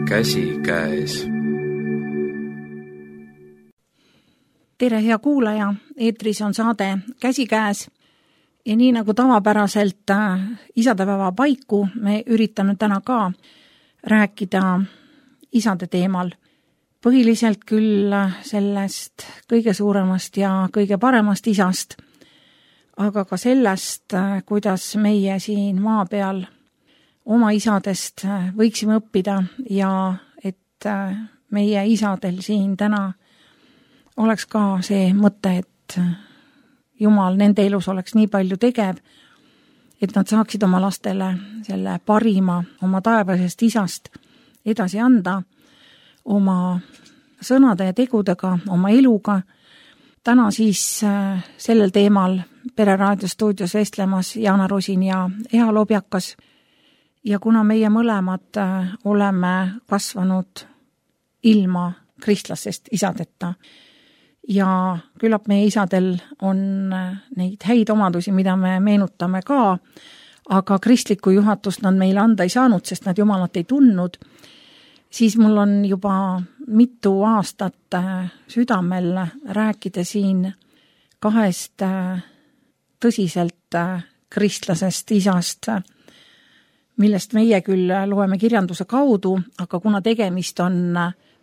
käsikäes. Tere, hea kuulaja, eetris on saade Käsikäes ja nii nagu tavapäraselt isadepäeva paiku me üritame täna ka rääkida isade teemal. Põhiliselt küll sellest kõige suuremast ja kõige paremast isast, aga ka sellest, kuidas meie siin maa peal oma isadest võiksime õppida ja et meie isadel siin täna oleks ka see mõte, et Jumal nende elus oleks nii palju tegev, et nad saaksid oma lastele selle parima oma taevasest isast edasi anda oma sõnade ja tegudega, oma eluga. Täna siis sellel teemal Pere raadiostuudios vestlemas Jaana Rosin ja Eha Lobjakas. Ja kuna meie mõlemad oleme kasvanud ilma kristlasest isadeta ja küllap meie isadel on neid häid omadusi, mida me meenutame ka, aga kristlikku juhatust nad meile anda ei saanud, sest nad Jumalat ei tundnud, siis mul on juba mitu aastat südamel rääkida siin kahest tõsiselt kristlasest isast, millest meie küll loeme kirjanduse kaudu, aga kuna tegemist on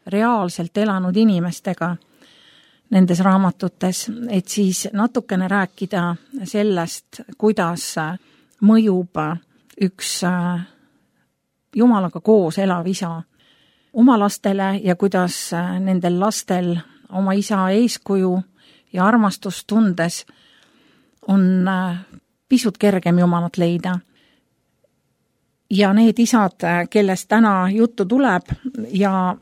reaalselt elanud inimestega nendes raamatutes, et siis natukene rääkida sellest, kuidas mõjub üks Jumalaga koos elav isa oma lastele ja kuidas nendel lastel oma isa eeskuju ja armastust tundes on pisut kergem Jumalat leida. Ja need isad, kellest täna juttu tuleb ja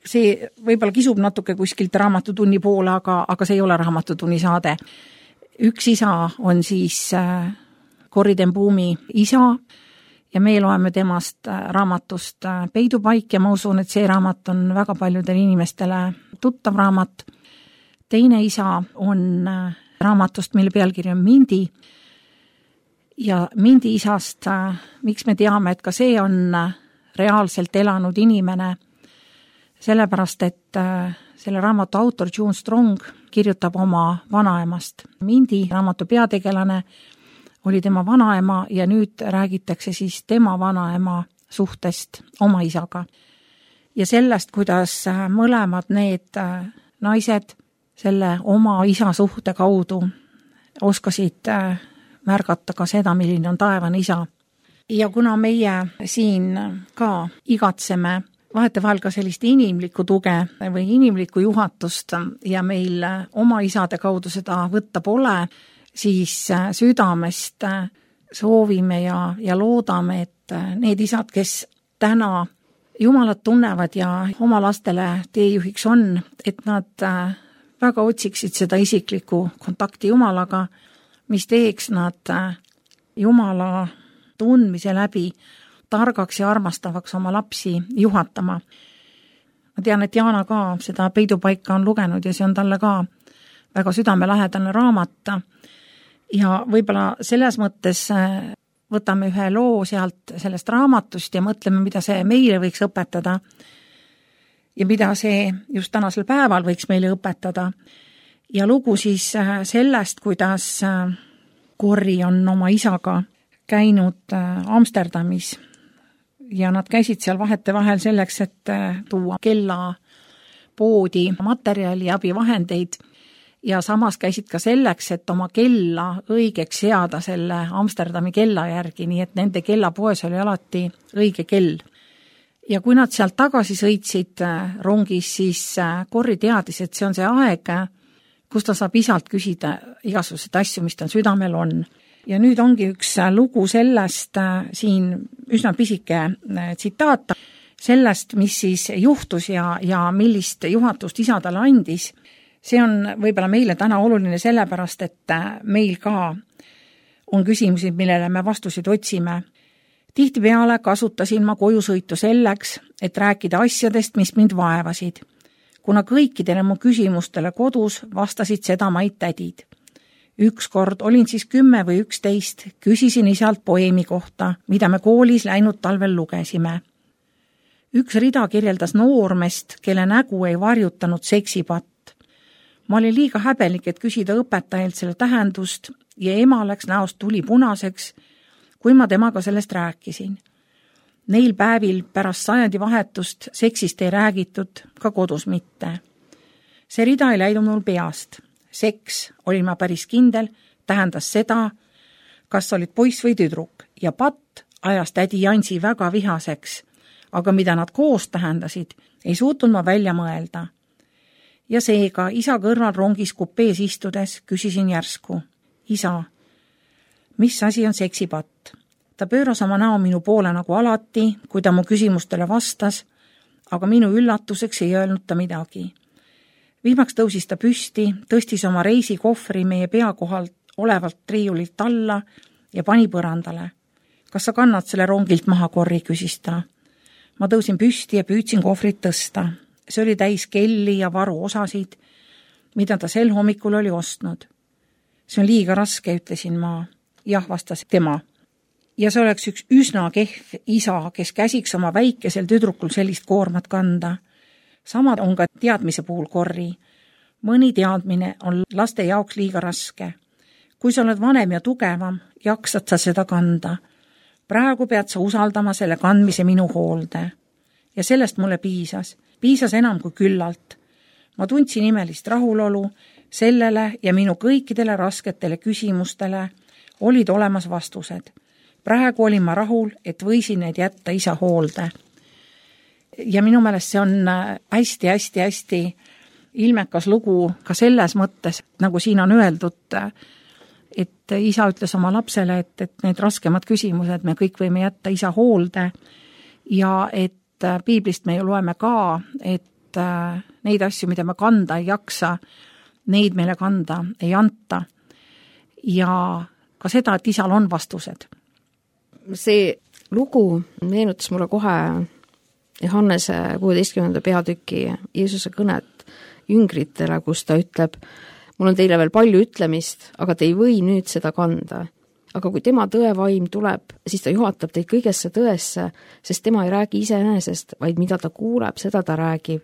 see võib-olla kisub natuke kuskilt raamatutunni poole, aga see ei ole raamatutunni saade. Üks isa on siis Corrie ten Boumi isa ja me loeme temast raamatust Peidupaik ja ma usun, et see raamat on väga paljudele inimestele tuttav raamat. Teine isa on raamatust, mille pealkiri on Mindi. Ja Mindi isast, miks me teame, et ka see on reaalselt elanud inimene, sellepärast, et selle raamatu autor June Strong kirjutab oma vanaemast. Mindi raamatu peategelane oli tema vanaema ja nüüd räägitakse siis tema vanaema suhtest oma isaga. Ja sellest, kuidas mõlemad need naised selle oma isa suhte kaudu oskasid märgata ka seda, milline on taevane isa. Ja kuna meie siin ka igatseme vahetevahel ka sellist inimlikku tuge või inimlikku juhatust ja meil oma isade kaudu seda võtta pole, siis südamest soovime ja loodame, et need isad, kes täna Jumalat tunnevad ja oma lastele teejuhiks on, et nad väga otsiksid seda isiklikku kontakti Jumalaga, mis teeks nad Jumala tundmise läbi targaks ja armastavaks oma lapsi juhatama. Ma tean, et Jaana ka seda Peidupaika on lugenud ja see on talle ka väga südamelähedane raamat. Ja võib-olla selles mõttes võtame ühe loo sealt sellest raamatust ja mõtleme, mida see meile võiks õpetada ja mida see just tänasel päeval võiks meile õpetada. Ja lugu siis sellest, kuidas Corrie on oma isaga käinud Amsterdamis ja nad käisid seal vahetevahel selleks, et tuua kella poodi materjali ja abivahendeid ja samas käisid ka selleks, et oma kella õigeks seada selle Amsterdami kella järgi, nii et nende kellapoes oli alati õige kell. Ja kui nad sealt tagasi sõitsid rongis, siis Corrie teadis, et see on see aeg, kus ta saab isalt küsida igasuguseid asju, mis tal südamel on. Ja nüüd ongi üks lugu sellest siin üsna pisike tsitaat sellest, mis siis juhtus ja millist juhatust isa talle andis. See on võib-olla meile täna oluline sellepärast, et meil ka on küsimusi, millele me vastuseid otsime. Tihtipeale kasutasin ma kojusõitu selleks, et rääkida asjadest, mis mind vaevasid. Kuna kõikidele mu küsimustele kodus vastasid seda maid tädid. Ükskord olin siis 10 või 11, küsisin isalt poeemi kohta, mida me koolis läinud talvel lugesime. Üks rida kirjeldas noormest, kelle nägu ei varjutanud seksipatt. Ma olin liiga häbelik, et küsida õpetajalt selle tähendust ja ema läks näost tuli punaseks, kui ma temaga sellest rääkisin. Neil päevil pärast sajandivahetust seksist ei räägitud, ka kodus mitte. See rida ei läinud mul peast. Seks, olin ma päris kindel, tähendas seda, kas olid poiss või tüdruk, ja patt ajas tädi Jansi väga vihaseks, aga mida nad koos tähendasid, ei suutnud ma välja mõelda. Ja seega isa kõrval rongis kupees istudes küsisin järsku, isa, mis asi on seksipatt? Ta pööras oma näo minu poole nagu alati, kui ta mu küsimustele vastas, aga minu üllatuseks ei öelnud ta midagi. Viimaks tõusis ta püsti, tõstis oma reisikohvri meie pea kohalt olevalt riiulilt alla ja pani põrandale. Kas sa kannad selle rongilt maha, Korri, küsis ta. Ma tõusin püsti ja püüdsin kohvrit tõsta. See oli täis kelli ja varuosasid, mida ta sel hommikul oli ostnud. See on liiga raske, ütlesin ma. Jah, vastas tema. Ja see oleks üks üsna kehv isa, kes käsiks oma väikesel tüdrukul sellist koormat kanda. Sama on ka teadmise puhul, Korri. Mõni teadmine on laste jaoks liiga raske. Kui sa oled vanem ja tugevam, jaksad sa seda kanda. Praegu pead sa usaldama selle kandmise minu hoolde. Ja sellest mulle piisas. Piisas enam kui küllalt. Ma tundsin imelist rahulolu, sellele ja minu kõikidele rasketele küsimustele olid olemas vastused. Praegu olin ma rahul, et võisin need jätta isa hoolde. Ja minu meelest see on hästi ilmekas lugu ka selles mõttes, nagu siin on öeldud, et isa ütles oma lapsele, et need raskemad küsimused me kõik võime jätta isa hoolde ja et piiblist me ju loeme ka, et neid asju, mida me kanda ei jaksa, neid meile kanda ei anta. Ja ka seda, et isal on vastused. See lugu meenutas mulle kohe Johannese 16. peatüki Jeesuse kõnet jüngritele, kus ta ütleb, mul on teile veel palju ütlemist, aga te ei või nüüd seda kanda. Aga kui tema tõevaim tuleb, siis ta juhatab teid kõigesse tõesse, sest tema ei räägi iseenesest, vaid mida ta kuuleb, seda ta räägib.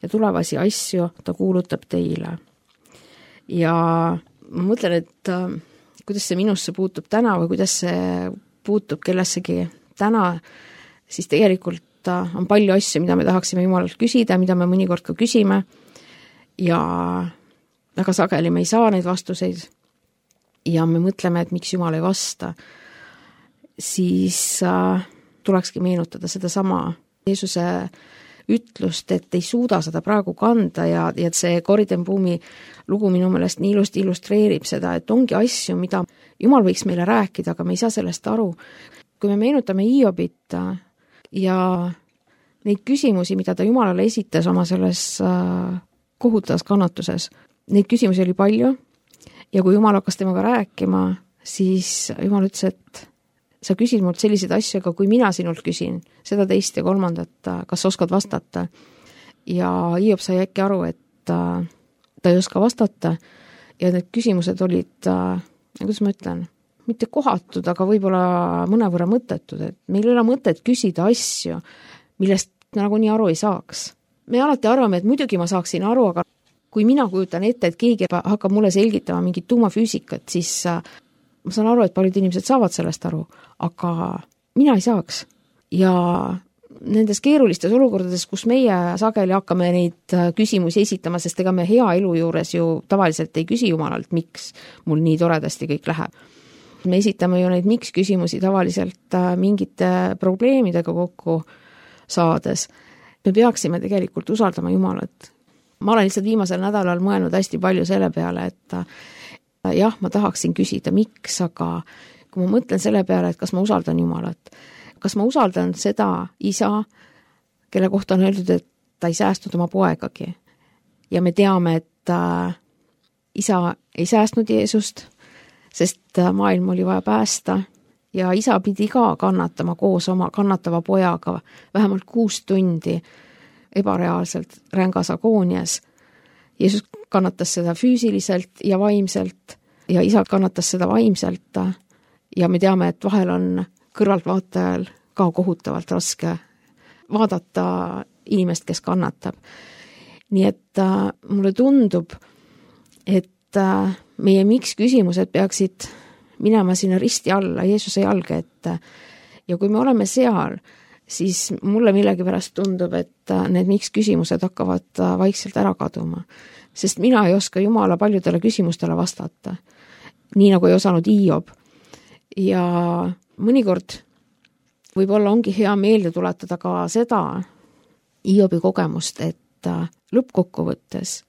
Ja tulevasi asju ta kuulutab teile. Ja ma mõtlen, et kuidas see minusse puutub täna või kuidas see puutub kellessegi täna, siis tegelikult on palju asju, mida me tahaksime Jumalalt küsida, mida me mõnikord ka küsime ja väga sageli me ei saa neid vastuseid ja me mõtleme, et miks Jumal ei vasta, siis tulekski meenutada seda sama Jeesuse ütlust, et ei suuda seda praegu kanda ja et see Corrie ten Boumi lugu minu meelest nii ilusti illustreerib seda, et ongi asju, mida Jumal võiks meile rääkida, aga me ei saa sellest aru. Kui me meenutame Hiobit ja neid küsimusi, mida ta Jumalale esitas oma selles kohutavas kannatuses, neid küsimusi oli palju ja kui Jumal hakkas temaga rääkima, siis Jumal ütles, et sa küsid mult selliseid asju, aga kui mina sinult küsin seda teist ja kolmandat, kas oskad vastata? Ja Hiob sai äkki aru, et ta ei oska vastata ja need küsimused olid, kuidas ma ütlen, mitte kohatud, aga võib-olla mõnevõrra mõttetud, et meil ei ole mõtet küsida asju, millest nagu nii aru ei saaks. Me alati arvame, et muidugi ma saaksin aru, aga kui mina kujutan ette, et keegi hakkab mulle selgitama mingit tuumafüüsikat, siis ma saan aru, et paljud inimesed saavad sellest aru, aga mina ei saaks. Ja nendes keerulistes olukordades, kus meie sageli hakkame neid küsimusi esitama, sest ega me hea elu juures ju tavaliselt ei küsi Jumalalt, miks mul nii toredasti kõik läheb. Me esitame ju neid miks küsimusi tavaliselt mingite probleemidega kokku saades. Me peaksime tegelikult usaldama Jumalat. Ma olen lihtsalt viimasel nädalal mõelnud hästi palju selle peale, et jah, ma tahaksin küsida, miks, aga kui ma mõtlen selle peale, et kas ma usaldan Jumalat, kas ma usaldan seda isa, kelle kohta on öeldud, et ta ei säästnud oma poegagi. Ja me teame, et isa ei säästnud Jeesust, sest maailm oli vaja päästa ja isa pidi ka kannatama koos oma kannatava pojaga vähemalt 6 tundi ebareaalselt rängas agoonias. Jeesus kannatas seda füüsiliselt ja vaimselt ja isa kannatas seda vaimselt ja me teame, et vahel on kõrvaltvaatajal ka kohutavalt raske vaadata inimest, kes kannatab. Nii et mulle tundub, et meie miks küsimused peaksid minema sinna risti alla, Jeesuse jalge, et ja kui me oleme seal, siis mulle millegipärast tundub, et need miks küsimused hakkavad vaikselt ära kaduma. Sest mina ei oska Jumala paljudele küsimustele vastata, nii nagu ei osanud Hiob. Ja mõnikord võib-olla ongi hea meelde tuletada ka seda Hiobi kogemust, et lõppkokkuvõttes,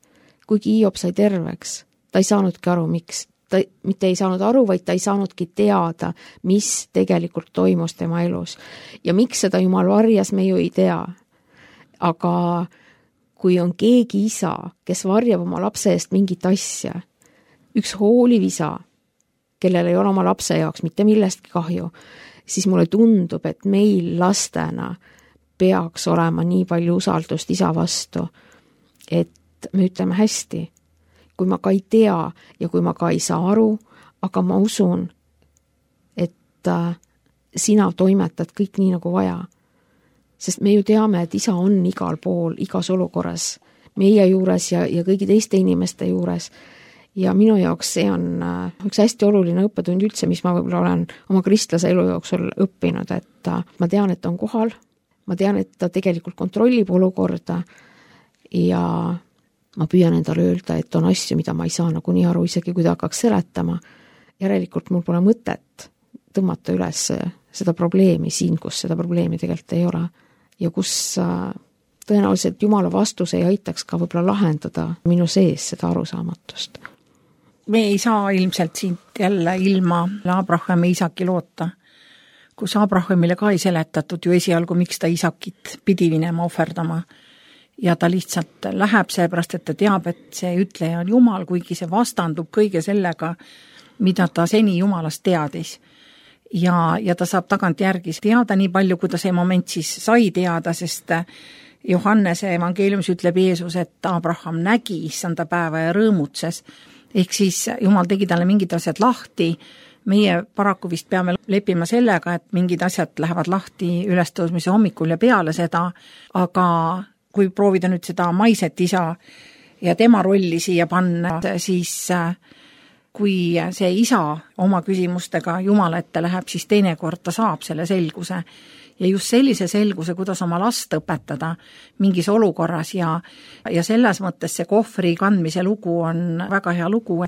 kuigi Hiob sai terveks, ta ei saanudki aru, miks. Ta mitte ei saanud aru, vaid ta ei saanudki teada, mis tegelikult toimus tema elus. Ja miks seda Jumal varjas, me ju ei tea. Aga kui on keegi isa, kes varjab oma lapse eest mingit asja, üks hooliv isa, kellel ei ole oma lapse jaoks mitte millestki kahju, siis mulle tundub, et meil lastena peaks olema nii palju usaldust isa vastu, et me ütleme hästi, kui ma ka ei tea ja kui ma ka ei saa aru, aga ma usun, et sina toimetad kõik nii nagu vaja. Sest me ju teame, et isa on igal pool, igas olukorras, meie juures ja kõigi teiste inimeste juures. Ja minu jaoks see on üks hästi oluline õppetund üldse, mis ma võib-olla olen oma kristlase elu jooksul õppinud, et ma tean, et ta on kohal, ma tean, et ta tegelikult kontrollib olukorda ja ma püüan endale öelda, et on asju, mida ma ei saa nagunii aru, isegi kui ta hakkaks seletama. Järelikult mul pole mõtet tõmmata üles seda probleemi siin, kus seda probleemi tegelikult ei ole. Ja kus tõenäoliselt Jumala vastus ei aitaks ka võib-olla lahendada minu sees seda arusaamatust. Me ei saa ilmselt siit jälle ilma Abrahami Isaki loota, kus Abrahamile ka ei seletatud ju esialgu, miks ta Isakit pidi minema ohverdama. Ja ta lihtsalt läheb seepärast, et ta teab, et see ütleja on Jumal, kuigi see vastandub kõige sellega, mida ta seni Jumalast teadis. Ja ta saab tagant järgi teada nii palju, kui ta see moment siis sai teada, sest Johannese evangeeliumis ütleb Jeesus, et Abraham nägi issanda päeva ja rõõmutses. Ehk siis Jumal tegi talle mingid asjad lahti. Meie paraku vist peame leppima sellega, et mingid asjad lähevad lahti ülestõusmise hommikul ja peale seda, aga kui proovida nüüd seda maiset isa ja tema rolli siia panna, siis kui see isa oma küsimustega Jumala ette läheb, siis teinekord ta saab selle selguse. Ja just sellise selguse, kuidas oma last õpetada mingis olukorras ja selles mõttes see kohvri kandmise lugu on väga hea lugu.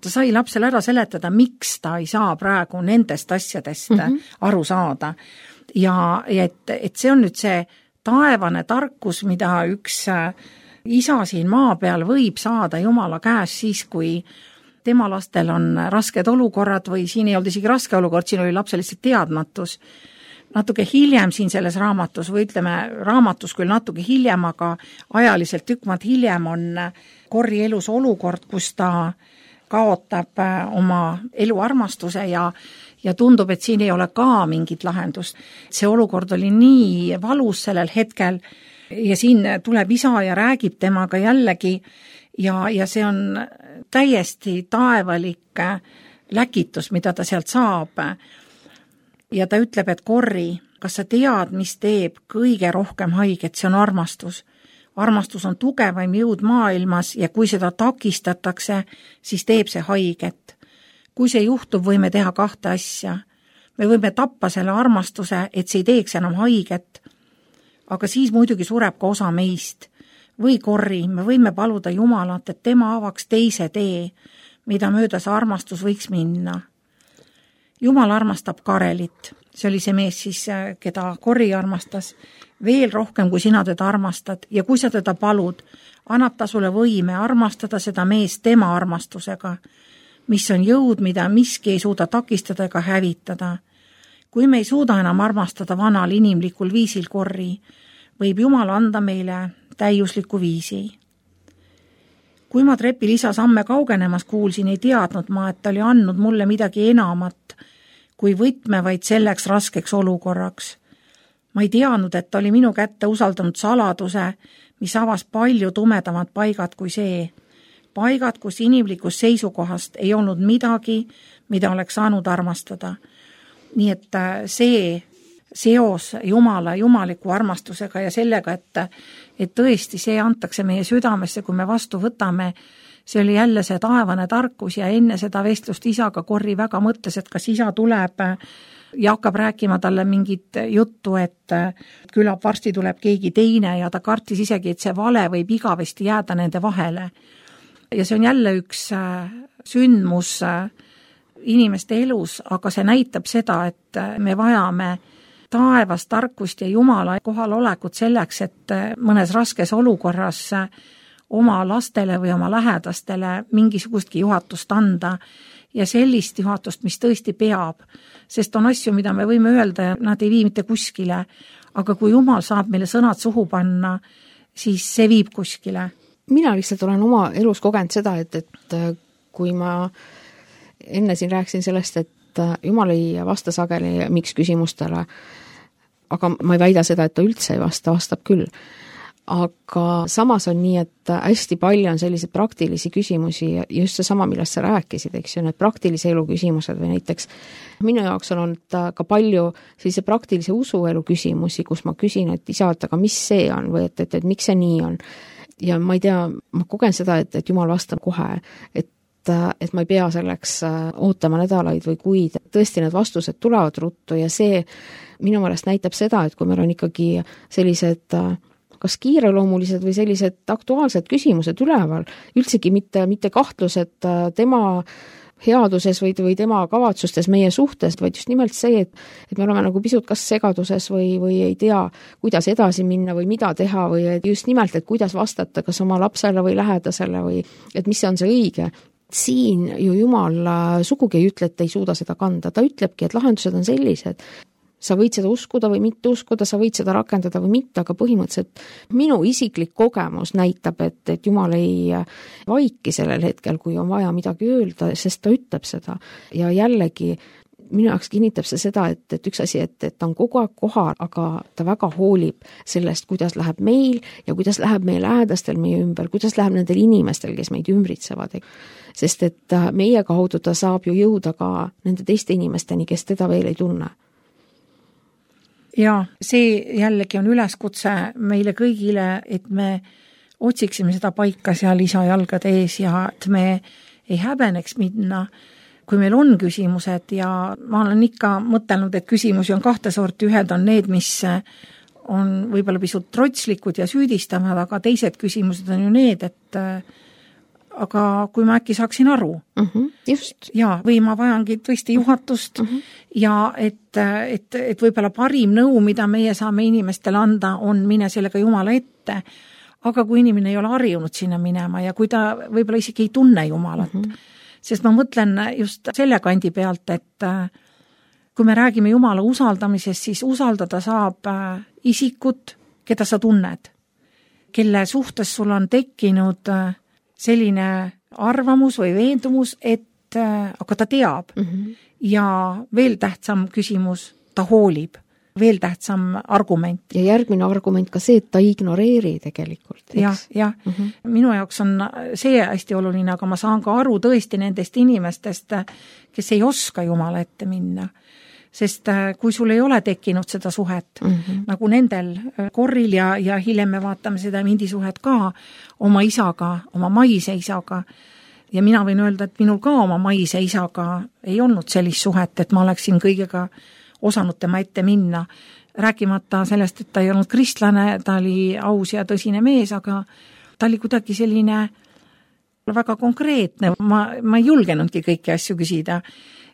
Ta sai lapsele ära seletada, miks ta ei saa praegu nendest asjadest aru saada. Ja et see on nüüd see taevane tarkus, mida üks isa siin maa peal võib saada Jumala käes siis, kui tema lastel on rasked olukorrad või siin ei olnud isegi raske olukord, siin oli lapse lihtsalt teadmatus. Natuke hiljem siin selles raamatus või ütleme raamatus küll natuke hiljem, aga ajaliselt tükk maad hiljem on Corri elus olukord, kus ta kaotab oma eluarmastuse ja tundub, et siin ei ole ka mingit lahendust. See olukord oli nii valus sellel hetkel ja siin tuleb isa ja räägib temaga jällegi ja see on täiesti taevalik läkitus, mida ta sealt saab. Ja ta ütleb, et Corri, kas sa tead, mis teeb kõige rohkem haiget, see on armastus. Armastus on tugevaim jõud maailmas ja kui seda takistatakse, siis teeb see haiget. Kui see juhtub, võime teha kahte asja. Me võime tappa selle armastuse, et see ei teeks enam haiget. Aga siis muidugi sureb ka osa meist. Või Corri, me võime paluda Jumalat, et tema avaks teise tee, mida mööda see armastus võiks minna. Jumal armastab Karelit. See oli see mees siis, keda Corri armastas. Veel rohkem, kui sina teda armastad ja kui sa teda palud, annab ta sulle võime armastada seda meest tema armastusega, mis on jõud, mida miski ei suuda takistada ega hävitada. Kui me ei suuda enam armastada vanal inimlikul viisil Corri, võib Jumal anda meile täiusliku viisi. Kui ma trepil isa samme kaugenemas kuulsin, ei teadnud ma, et ta oli andnud mulle midagi enamat, kui võtme vaid selleks raskeks olukorraks. Ma ei teadnud, et ta oli minu kätte usaldanud saladuse, mis avas palju tumedamad paigad kui see. Paigad, kus inimlikust seisukohast ei olnud midagi, mida oleks saanud armastada. Nii et see seos Jumala, jumaliku armastusega ja sellega, et tõesti see antakse meie südamesse, kui me vastu võtame. See oli jälle see taevane tarkus ja enne seda vestlust isaga Corri väga mõtles, et kas isa tuleb ja hakkab rääkima talle mingit juttu, et küllap varsti tuleb keegi teine ja ta kartis isegi, et see vale võib igavesti jääda nende vahele. Ja see on jälle üks sündmus inimeste elus, aga see näitab seda, et me vajame taevast tarkust ja Jumala kohalolekut selleks, et mõnes raskes olukorras oma lastele või oma lähedastele mingisugustki juhatust anda ja sellist juhatust, mis tõesti peab. Sest on asju, mida me võime öelda ja nad ei vii mitte kuskile, aga kui Jumal saab meile sõnad suhu panna, siis see viib kuskile. Mina lihtsalt olen oma elus kogenud seda, et kui ma enne siin rääkisin sellest, et Jumal ei vasta sageli miks küsimustele, aga ma ei väida seda, et ta üldse ei vasta, vastab küll. Aga samas on nii, et hästi palju on selliseid praktilisi küsimusi ja just see sama, millest sa rääkisid, eks ju, need praktilise elu küsimused või näiteks minu jaoks on olnud ka palju sellise praktilise usuelu küsimusi, kus ma küsin, et isa, aga mis see on või et miks see nii on. Ja ma ei tea, ma kogen seda, et Jumal vastab kohe, et ma ei pea selleks ootama nädalaid või kuid. Tõesti, need vastused tulevad ruttu ja see minu meelest näitab seda, et kui meil on ikkagi sellised kas kiireloomulised või sellised aktuaalsed küsimused üleval, üldsegi mitte kahtlused tema headuses või tema kavatsustes meie suhtes, vaid just nimelt see, et me oleme nagu pisut kas segaduses või ei tea, kuidas edasi minna või mida teha või just nimelt, et kuidas vastata kas oma lapsele või lähedasele või et mis on see õige. Siin ju Jumal sugugi ei ütle, et ei suuda seda kanda, ta ütlebki, et lahendused on sellised. Sa võid seda uskuda või mitte uskuda, sa võid seda rakendada või mitte, aga põhimõtteliselt minu isiklik kogemus näitab, et Jumal ei vaiki sellel hetkel, kui on vaja midagi öelda, sest ta ütleb seda. Ja jällegi minu jaoks kinnitab see seda, et üks asi, et ta on kogu aeg kohal, aga ta väga hoolib sellest, kuidas läheb meil ja kuidas läheb meie lähedastel meie ümber, kuidas läheb nendel inimestel, kes meid ümbritsevad. Sest et meie kaudu ta saab ju jõuda ka nende teiste inimesteni, kes teda veel ei tunne. Ja see jällegi on üleskutse meile kõigile, et me otsiksime seda paika seal isa jalgade ees ja et me ei häbeneks minna, kui meil on küsimused ja ma olen ikka mõtelnud, et küsimusi on kahte sorti, ühed on need, mis on võib-olla pisut trotslikud ja süüdistavad, aga teised küsimused on ju need, et aga kui ma äkki saaksin aru. Just. Ja, või ma vajangi tõesti juhatust ja et võib-olla parim nõu, mida meie saame inimestele anda, on mine sellega Jumala ette. Aga kui inimene ei ole harjunud sinna minema ja kui ta võib-olla isegi ei tunne Jumalat, sest ma mõtlen just selle kandi pealt, et kui me räägime Jumala usaldamisest, siis usaldada saab isikut, keda sa tunned, kelle suhtes sul on tekkinud selline arvamus või veendumus, et aga ta teab. Ja veel tähtsam küsimus, ta hoolib. Veel tähtsam argument. Ja järgmine argument ka see, et ta ignoreeri tegelikult. Ja. Minu jaoks on see hästi oluline, aga ma saan ka aru tõesti nendest inimestest, kes ei oska Jumala ette minna. Sest kui sul ei ole tekkinud seda suhet, nagu nendel Corril ja hiljem me vaatame seda Mindi suhet ka oma isaga, oma maise isaga, ja mina võin öelda, et minul ka oma maise isaga ei olnud sellist suhet, et ma oleksin kõigega osanud tema ette minna. Rääkimata sellest, et ta ei olnud kristlane, ta oli aus ja tõsine mees, aga ta oli kuidagi selline väga konkreetne, ma ei julgenudki kõiki asju küsida.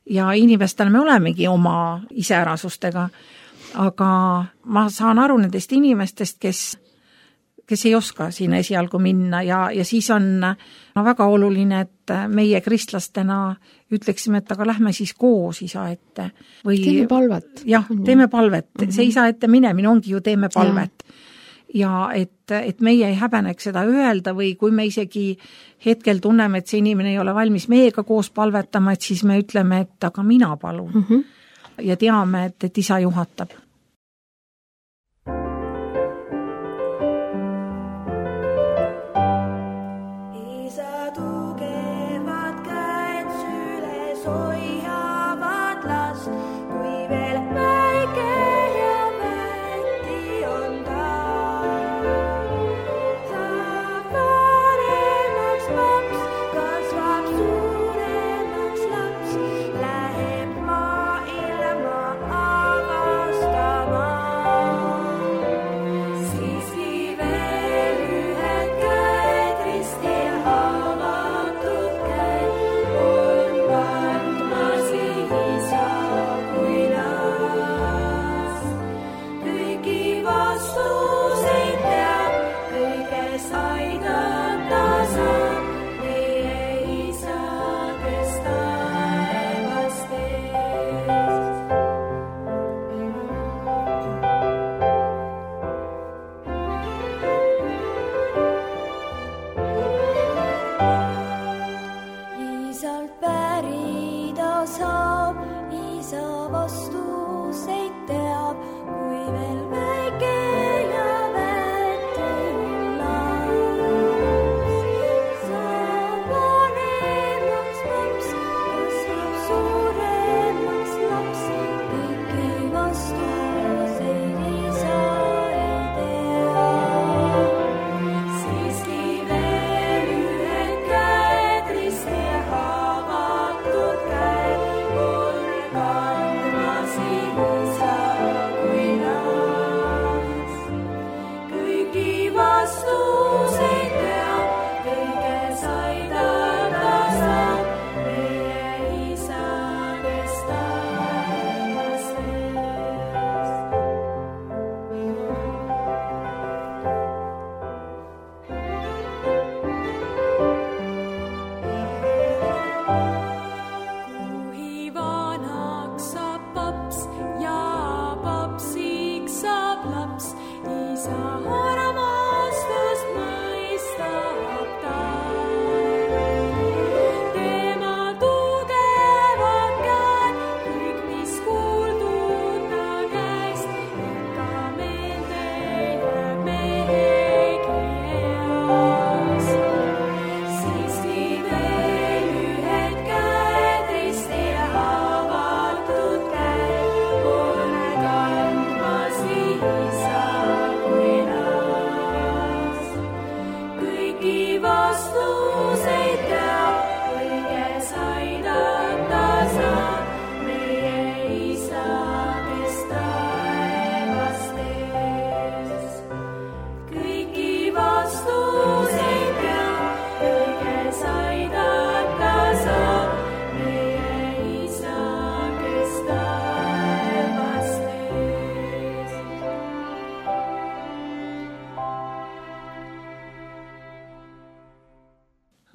Ja inimestel me olemegi oma iseärasustega, aga ma saan aru nendest inimestest, kes ei oska siin esialgu minna ja siis on väga oluline, et meie kristlastena ütleksime, et aga lähme siis koos isa ette. Teeme palvet. Jah, teeme palvet. See isa ette minemine ongi ju teeme palvet. Ja et meie ei häbeneks seda öelda või kui me isegi hetkel tunneme, et see inimene ei ole valmis meiega koos palvetama, et siis me ütleme, et aga mina palun. Ja teame, et isa juhatab. Isa tugevad käed süles hoiavad last, kui veel väike ja veel väike ja väetiv laps. Saab vanemaks laps, kasvab suuremaks laps, kõiki vastuseid isa ei tea. Siiski veel ühed käed risti haavatud käed, mul kandmas isa kui laps. Kõiki vastuseid teab, kõiges aidata saab meie isa, kes taevas ees. Kui vanaks saab paps ja papsiks saab laps, isa armastust mõistab ta. Tema tugevad käed, kõik mis kuuldud ta käest, ikka meelde jääb mehegi eas. Siiski veel ühed käed risti haavatud käed, mul kandmas isa kui laps. Kõiki vastuseid teab, kõiges aidata saab meie isa, kes taevast ees. Kõiki vastuseid teab, kõiges aidata saab meie isa, kes taevast ees.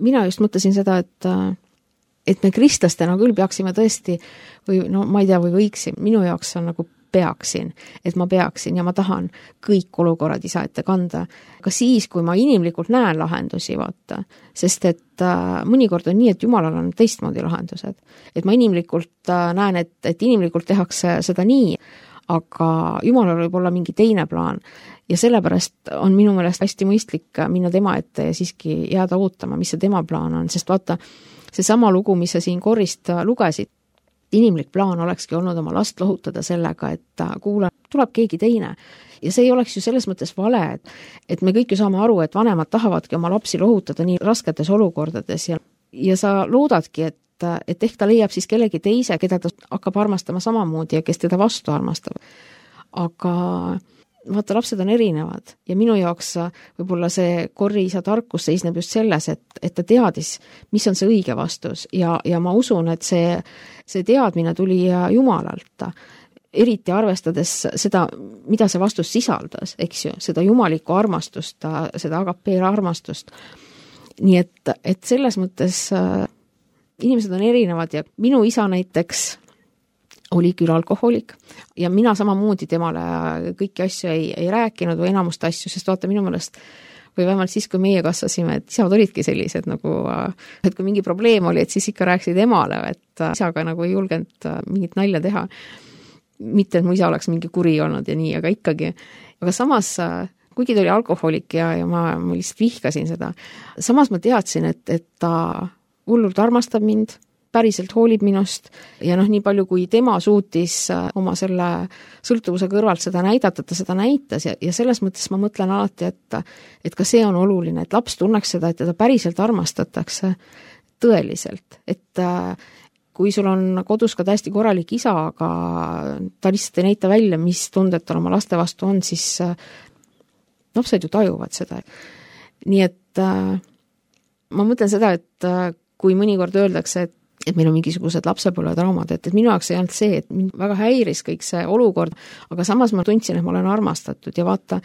mina just mõtlesin seda, et me kristlastena küll peaksime tõesti või no ma ei tea, või võiksin, minu jaoks on nagu peaksin, et ma peaksin ja ma tahan kõik olukorrad isa ette kanda. Ka siis, kui ma inimlikult näen lahendusi, vaata, sest et mõnikord on nii, et Jumalal on teistmoodi lahendused. Et ma inimlikult näen, et inimlikult tehakse seda nii, aga Jumalal võib olla mingi teine plaan. Ja sellepärast on minu meelest hästi mõistlik minna tema ette ja siiski jääda ootama, mis see tema plaan on, sest vaata, see sama lugu, mis sa siin korrist lugesid, inimlik plaan olekski olnud oma last lohutada sellega, et kuula, tuleb keegi teine. Ja see ei oleks ju selles mõttes vale, et me kõik ju saame aru, et vanemad tahavadki oma lapsi lohutada nii rasketes olukordades ja sa loodadki, et ehk ta leiab siis kellegi teise, keda ta hakkab armastama samamoodi ja kes teda vastu armastab. Aga vaata, lapsed on erinevad ja minu jaoks võib-olla see Korri isa tarkus seisneb just selles, et ta teadis, mis on see õige vastus ja ma usun, et see teadmine tuli Jumalalt, eriti arvestades seda, mida see vastus sisaldas, eks ju, seda jumalikku armastust, seda agapeera armastust. Nii et selles mõttes inimesed on erinevad ja minu isa näiteks oli küll alkohoolik ja mina samamoodi temale kõiki asju ei rääkinud või enamust asju, sest vaata minu meelest või vähemalt siis, kui meie kasvasime, et isad olidki sellised nagu, et kui mingi probleem oli, et siis ikka rääkisid emale, et isaga nagu ei julgenud mingit nalja teha. Mitte, et mu isa oleks mingi kuri olnud ja nii, aga ikkagi. Aga samas, kuigi ta oli alkohoolik ja ma lihtsalt vihkasin seda, samas ma teadsin, et ta hullult armastab mind, päriselt hoolib minust ja nii palju, kui tema suutis oma selle sõltuvuse kõrvalt seda näidata, ta seda näitas ja selles mõttes ma mõtlen alati, et ka see on oluline, et laps tunneks seda, et teda päriselt armastatakse tõeliselt, et kui sul on kodus ka täiesti korralik isa, aga ta lihtsalt ei näita välja, mis tunded tal oma laste vastu on, siis lapsed ju tajuvad seda. Nii et ma mõtlen seda, et kui mõnikord öeldakse, et meil on mingisugused lapsepõlvetraumad, et minu jaoks ei olnud see, et mind väga häiris kõik see olukord, aga samas ma tundsin, et ma olen armastatud ja vaata,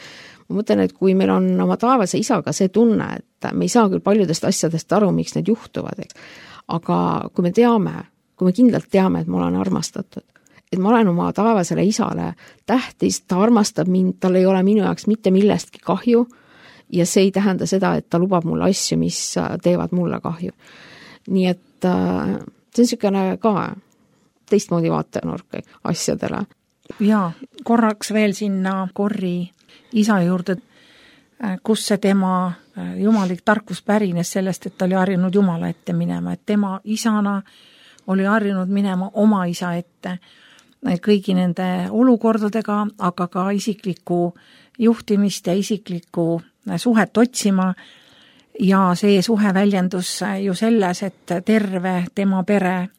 ma mõtlen, et kui meil on oma taevase isaga see tunne, et me ei saa küll paljudest asjadest aru, miks need juhtuvad, aga kui me teame, kui me kindlalt teame, et ma olen armastatud, et ma olen oma taevasele isale tähtis, ta armastab mind, tal ei ole minu jaoks mitte millestki kahju ja see ei tähenda seda, et ta lubab mulle asju, mis teevad mulle kahju. Nii et see on niisugune ka teistmoodi vaatenurk asjadele. Jaa, korraks veel sinna Corri isa juurde, kus see tema jumalik tarkus pärines sellest, et ta oli harjunud Jumala ette minema, et tema isana oli harjunud minema oma isa ette kõigi nende olukordadega, aga ka isiklikku juhtimist ja isiklikku suhet otsima. Ja see suhe väljendus ju selles, et terve tema pere,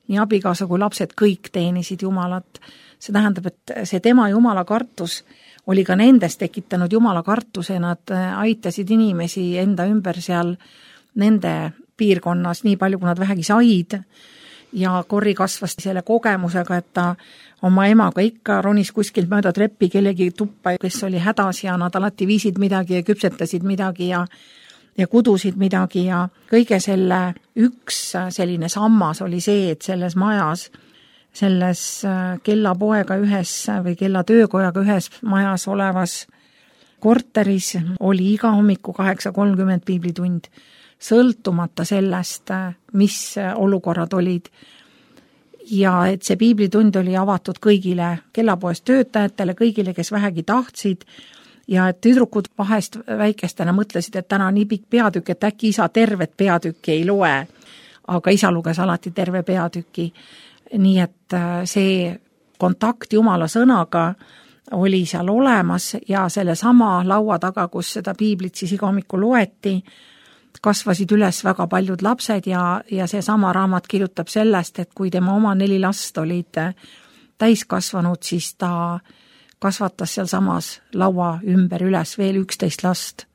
nii abikaasa kui lapsed, kõik teenisid Jumalat. See tähendab, et see tema Jumala kartus oli ka nendes tekitanud Jumala kartuse, nad aitasid inimesi enda ümber seal nende piirkonnas nii palju, kui nad vähegi said, ja Corri kasvas selle kogemusega, et ta oma emaga ikka ronis kuskilt mööda treppi kellegi tuppa, kes oli hädas ja nad alati viisid midagi ja küpsetasid midagi ja kudusid midagi ja kõige selle üks selline sammas oli see, et selles majas, selles kellapoega ühes või kellatöökojaga ühes majas olevas korteris oli iga hommiku 8:30 piiblitund, sõltumata sellest, mis olukorrad olid. Ja et see piiblitund oli avatud kõigile kellapoest töötajatele, kõigile, kes vähegi tahtsid, ja et tüdrukud vahest väikestena mõtlesid, et täna nii pikk peatükk, et äkki isa tervet peatükki ei loe, aga isa luges alati terve peatüki. Nii et see kontakt Jumala sõnaga oli seal olemas ja selle sama laua taga, kus seda piiblit siis iga hommikul loeti, kasvasid üles väga paljud lapsed ja see sama raamat kirjutab sellest, et kui tema oma 4 last olid täiskasvanud, siis ta kasvatas seal samas laua ümber üles veel 11 last,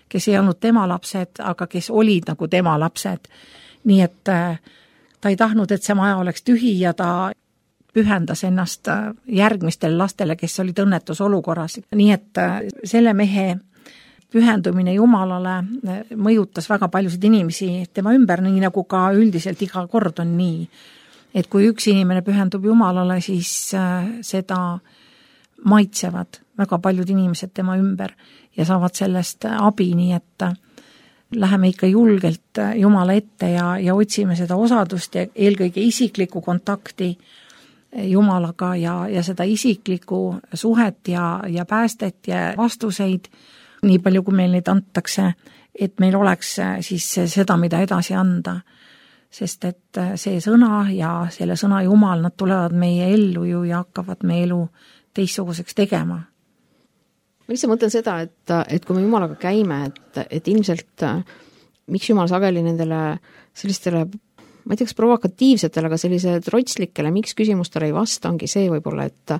kes ei olnud tema lapsed, aga kes olid nagu tema lapsed. Nii et ta ei tahtnud, et see maja oleks tühi ja ta pühendas ennast järgmistele lastele, kes olid õnnetus olukorras. Nii et selle mehe pühendumine Jumalale mõjutas väga paljusid inimesi tema ümber, nii nagu ka üldiselt iga kord on nii. Et kui üks inimene pühendub Jumalale, siis seda maitsevad väga paljud inimesed tema ümber ja saavad sellest abi, nii et läheme ikka julgelt Jumala ette ja otsime seda osadust ja eelkõige isiklikku kontakti Jumalaga ja seda isiklikku suhet ja päästet ja vastuseid, nii palju kui meil neid antakse, et meil oleks siis seda, mida edasi anda. Sest et see sõna ja selle sõna Jumal, nad tulevad meie ellu ju ja hakkavad meie elu teistsuguseks tegema. Ma lihtsalt mõtlen seda, et kui me Jumalaga käime, et ilmselt miks Jumal sageli nendele sellistele, ma ei tea, kas provokatiivsetele, aga sellise trotslikele, miks küsimustele ei vasta, ongi see võib-olla, et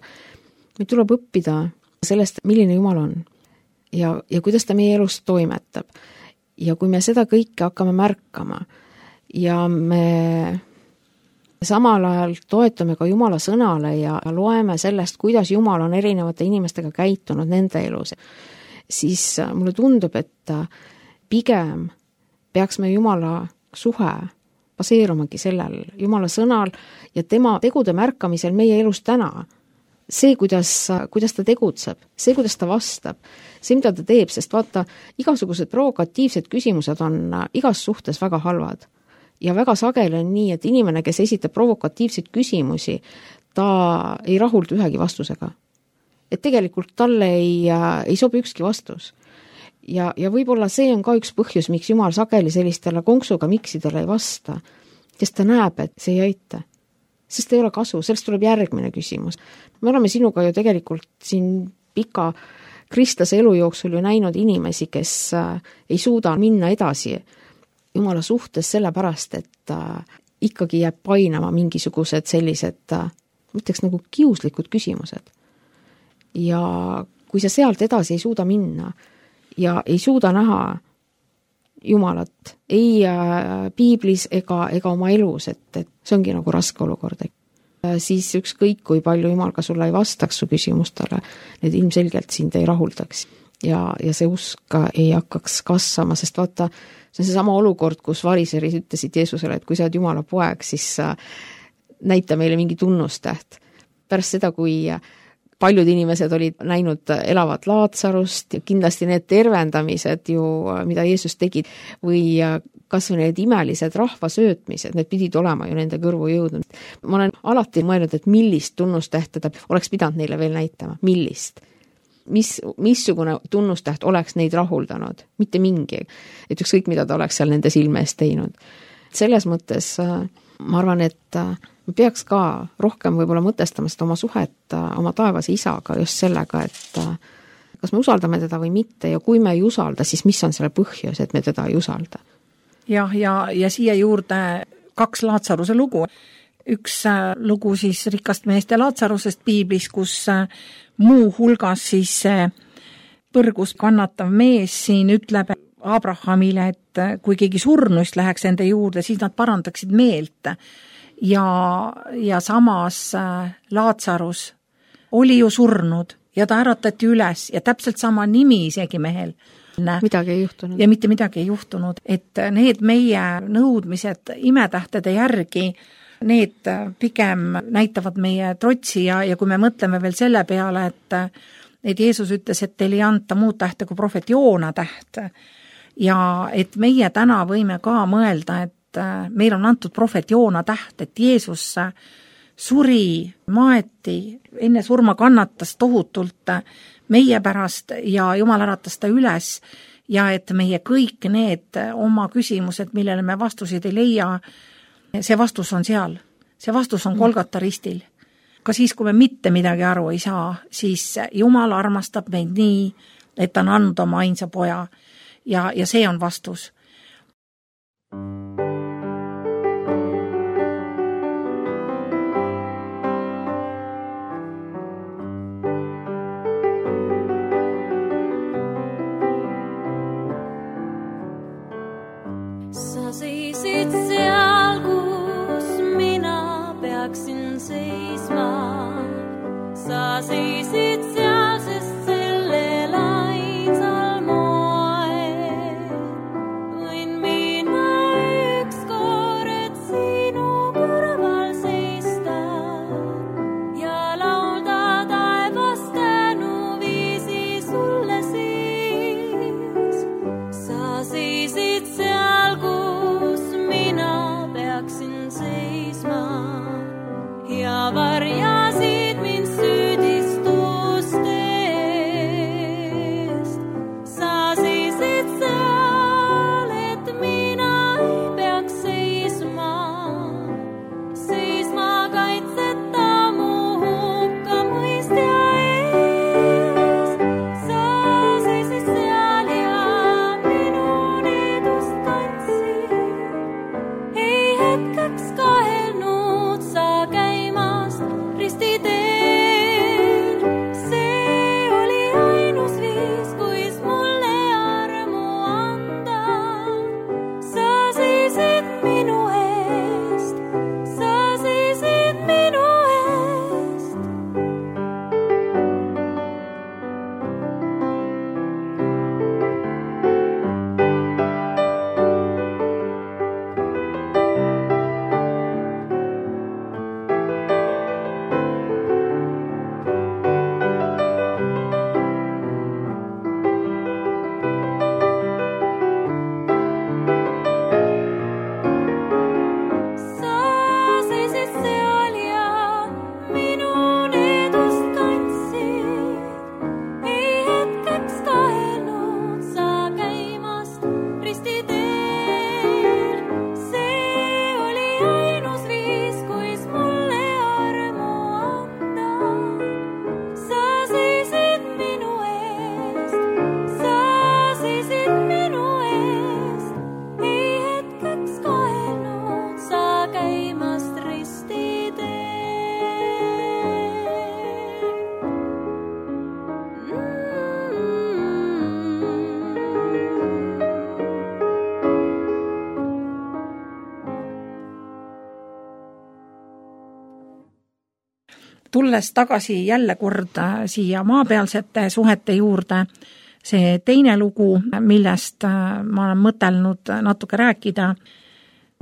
meil tuleb õppida sellest, milline Jumal on ja kuidas ta meie elus toimetab. Ja kui me seda kõike hakkame märkama ja me samal ajal toetume ka Jumala sõnale ja loeme sellest, kuidas Jumal on erinevate inimestega käitunud nende elus, siis mulle tundub, et pigem peaks me Jumala suhe baseerumagi sellel Jumala sõnal ja tema tegude märkamisel meie elus täna. See, kuidas ta tegutseb, see, kuidas ta vastab, see, mida ta teeb, sest vaata, igasugused provokatiivsed küsimused on igas suhtes väga halvad. Ja väga sageli on nii, et inimene, kes esitab provokatiivseid küsimusi, ta ei rahuldu ühegi vastusega. Et tegelikult talle ei sobi ükski vastus. Ja võib-olla see on ka üks põhjus, miks Jumal sageli sellistele konksuga miksidele ei vasta, sest ta näeb, et see ei aita. Sest ei ole kasu, sellest tuleb järgmine küsimus. Me oleme sinuga ju tegelikult siin pika kristlase elu jooksul ju näinud inimesi, kes ei suuda minna edasi Jumala suhtes sellepärast, et ikkagi jääb painama mingisugused sellised, ütleks nagu kiuslikud küsimused. Ja kui sa sealt edasi ei suuda minna ja ei suuda näha Jumalat ei piiblis ega oma elus, et see ongi nagu raske olukord. Siis ükskõik, kui palju Jumal ka sulle ei vastaks su küsimustele, need ilmselgelt sind ei rahuldaks ja see usk ei hakkaks kasvama, sest vaata, see on see sama olukord, kus variserid ütlesid Jeesusele, et kui sa oled Jumala poeg, siis näita meile mingi tunnustäht. Pärast seda, kui paljud inimesed olid näinud elavat Laatsarust, kindlasti need tervendamised ju, mida Jeesus tegi, või kas või need imelised rahvasöötmised, need pidid olema ju nende kõrvu jõudnud. Ma olen alati mõelnud, et millist tunnustähte ta oleks pidanud neile veel näitama, millist. Missugune tunnustäht oleks neid rahuldanud, mitte mingi, et ükskõik mida ta oleks seal nende silme eest teinud. Selles mõttes ma arvan, et me peaks ka rohkem võib-olla mõtestama seda oma suhet oma taevase isaga just sellega, et kas me usaldame teda või mitte ja kui me ei usalda, siis mis on selle põhjus, et me teda ei usalda. Ja siia juurde 2 Laatsaruse lugu. Üks lugu siis rikast meest ja Laatsarusest piiblis, kus muu hulgas siis põrgus kannatav mees siin ütleb Abrahamile, et kui keegi surnuist läheks ende juurde, siis nad parandaksid meelt. Ja samas Laatsarus oli ju surnud ja ta äratati üles ja täpselt sama nimi isegi mehel. Midagi ei juhtunud. Ja mitte midagi ei juhtunud, et need meie nõudmised imetähtede järgi, need pigem näitavad meie trotsi ja kui me mõtleme veel selle peale, et Jeesus ütles, et teil ei anta muud tähte kui prohvet Joona täht ja et meie täna võime ka mõelda, et meil on antud prohvet Joona täht, et Jeesus suri, maeti, enne surma kannatas tohutult meie pärast ja Jumal äratas ta üles ja et meie kõik need oma küsimused, millele me vastuseid ei leia, see vastus on seal. See vastus on Golgata ristil. Ka siis, kui me mitte midagi aru ei saa, siis Jumal armastab meid nii, et ta on andnud oma ainsa poja ja see on vastus. Sa seisid seal, kus mina peaksin seisma. Sa seisid seal, sest sellel ainsal moel võin mina ükskord sinu kõrval seista ja laulda taevast tänuviisi sulle siis. Sa seisid seal, kus mina peaksin seisma ja varjasid mind süüdistustest. Sa seisid seal, et mina ei peaks seisma kaitseta mu hukkamõistja ees. Sa seisid seal ja minu needust kandsid. Ei hetkeks kahelnud sa käimast ristiteel. See oli ainus viis, kuis mulle armu anda. Sa seisid minu eest. Sa seisid minu eest. Sa seisid seal ja minu needust kandsid. Ei hetkeks kahelnud sa käimast ristiteel. See oli ainus viis, kuis mulle armu anda. Sa seisid minu eest. Sa seisid minu eest. Ei hetkeks kahelnud sa käimast ristiteel. Tulles tagasi jälle kord siia maapealsete suhete juurde, see teine lugu, millest ma olen mõtelnud natuke rääkida,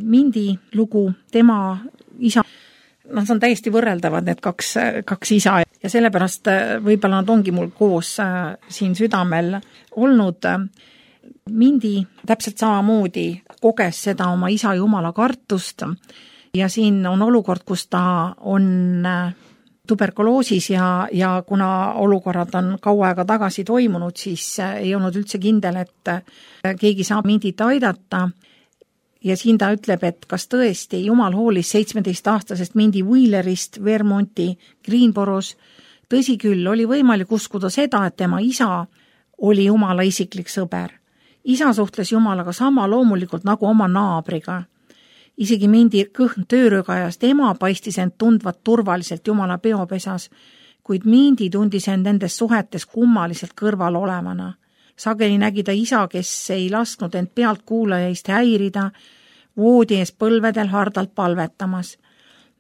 Mindi lugu, tema isa, see on täiesti võrreldavad need kaks isa. ja sellepärast võib-olla nad ongi mul koos siin südamel olnud. Mindi täpselt samamoodi koges seda oma isa Jumala kartust ja siin on olukord, kus ta on tuberkuloosis ja kuna olukorrad on kaua aega tagasi toimunud, siis ei olnud üldse kindel, et keegi saab Mindit aidata. Ja siin ta ütleb, et kas tõesti Jumal hoolis 17-aastasest Mindy Wheelerist Vermonti Greenboroughs. Tõsi küll, oli võimalik uskuda seda, et tema isa oli Jumala isiklik sõber. Isa suhtles Jumalaga sama loomulikult nagu oma naabriga. Isegi Mindy kõhn töörõgajast ema paistis end tundvat turvaliselt Jumala peopesas, kuid Mindy tundis end nendes suhetes kummaliselt kõrval olevana. Sageli nägi ta isa, kes ei lasknud end pealt kuulajaist häirida, voodi ees põlvedel hardalt palvetamas.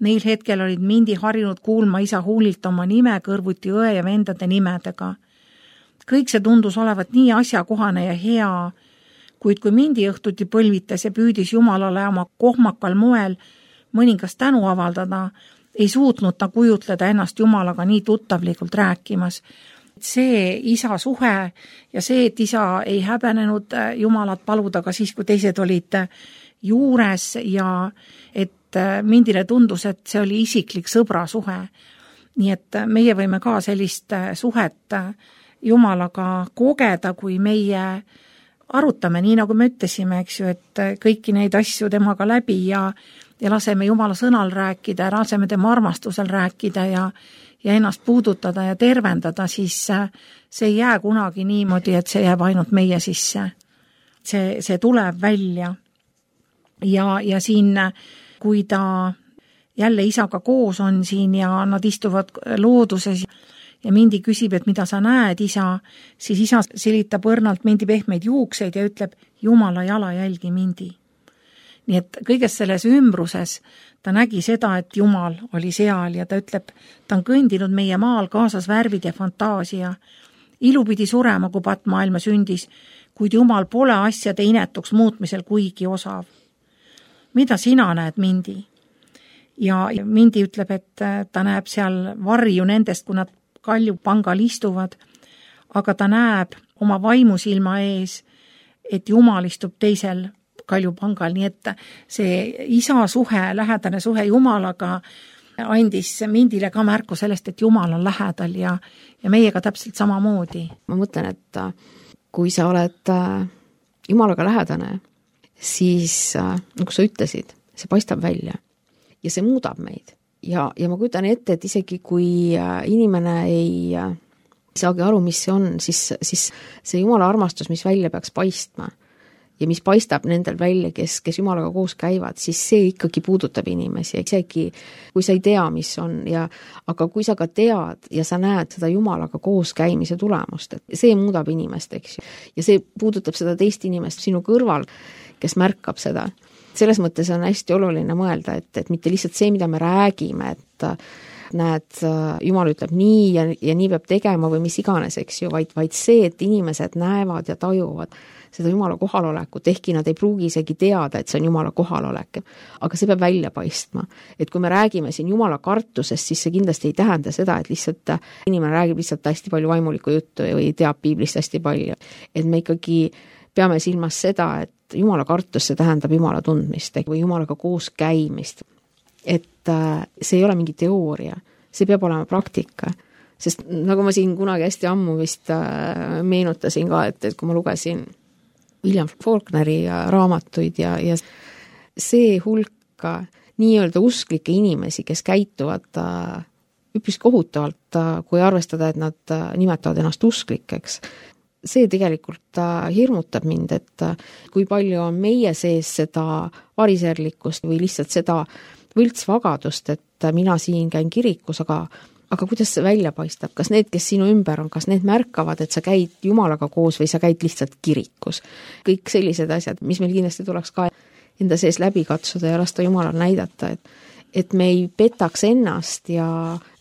Neil hetkel olid Mindy harjunud kuulma isa huulilt oma nime kõrvuti õe ja vendade nimedega. Kõik see tundus olevat nii asjakohane ja hea, kuid kui Mindy õhtuti põlvitas ja püüdis Jumalale oma kohmakal moel mõningast tänu avaldada, ei suutnud ta kujutleda ennast Jumalaga nii tuttavlikult rääkimas. See isa suhe ja see, et isa ei häbenenud Jumalat paluda ka siis, kui teised olid juures ja et Mindile tundus, et see oli isiklik sõbra suhe. Nii et meie võime ka sellist suhet Jumalaga kogeda, kui meie arutame, nii nagu me ütlesime, eks ju, et kõiki neid asju temaga läbi ja laseme Jumala sõnal rääkida, laseme tema armastusel rääkida ja ennast puudutada ja tervendada, siis see ei jää kunagi niimoodi, et see jääb ainult meie sisse. See tuleb välja. Ja siin, kui ta jälle isaga koos on siin ja nad istuvad looduses ja Mindy küsib, et mida sa näed, isa, siis isa silitab õrnalt Mindy pehmeid juukseid ja ütleb, Jumala jalajälgi Mindy. Nii et kõiges selles ümbruses ta nägi seda, et Jumal oli seal ja ta ütleb, ta on kõndinud meie maal kaasas värvid ja fantaasia. Ilu pidi surema, kui patmaailma sündis, kuid Jumal pole asjade inetuks muutmisel kuigi osav. Mida sina näed, Mindy? Ja Mindy ütleb, et ta näeb seal varju nendest, kui nad kaljupangal istuvad, aga ta näeb oma vaimusilma ees, et Jumal istub teisel kaljupangal, nii et see isa suhe, lähedane suhe Jumalaga andis Mindile ka märku sellest, et Jumal on lähedal ja meiega täpselt samamoodi. Ma mõtlen, et kui sa oled Jumalaga lähedane, siis nagu sa ütlesid, see paistab välja ja see muudab meid. Ja ma kujutan ette, et isegi kui inimene ei saagi aru, mis see on, siis see Jumala armastus, mis välja peaks paistma ja mis paistab nendel välja, kes Jumalaga koos käivad, siis see ikkagi puudutab inimesi, isegi kui sa ei tea, mis on, aga kui sa ka tead ja sa näed seda Jumalaga koos käimise tulemust, et see muudab inimest, eks ju. Ja see puudutab seda teist inimest sinu kõrval, kes märkab seda. Selles mõttes on hästi oluline mõelda, et mitte lihtsalt see, mida me räägime, et näed, Jumal ütleb nii ja nii peab tegema või mis iganes, eks ju, vaid see, et inimesed näevad ja tajuvad seda Jumala kohalolekut, ehkki nad ei pruugi isegi teada, et see on Jumala kohalolek. Aga see peab välja paistma. Et kui me räägime siin Jumala kartusest, siis see kindlasti ei tähenda seda, et lihtsalt inimene räägib lihtsalt hästi palju vaimulikku juttu või teab piiblist hästi palju. Et me ikkagi peame silmas seda, et Jumala kartus, see tähendab Jumala tundmist või Jumalaga koos käimist. Et see ei ole mingi teooria, see peab olema praktika. Sest nagu ma siin kunagi hästi ammu vist meenutasin ka, et kui ma lugesin William Faulkneri raamatuid ja see hulka nii-öelda usklikke inimesi, kes käituvad üpris kohutavalt, kui arvestada, et nad nimetavad ennast usklikeks. See tegelikult hirmutab mind, et kui palju on meie sees seda variserlikkust või lihtsalt seda võltsvagadust, et mina siin käin kirikus, aga kuidas see välja paistab? Kas need, kes sinu ümber on, kas need märkavad, et sa käid Jumalaga koos või sa käid lihtsalt kirikus? Kõik sellised asjad, mis meil kindlasti tuleks ka enda sees läbi katsuda ja lasta Jumalal näidata, et me ei petaks ennast ja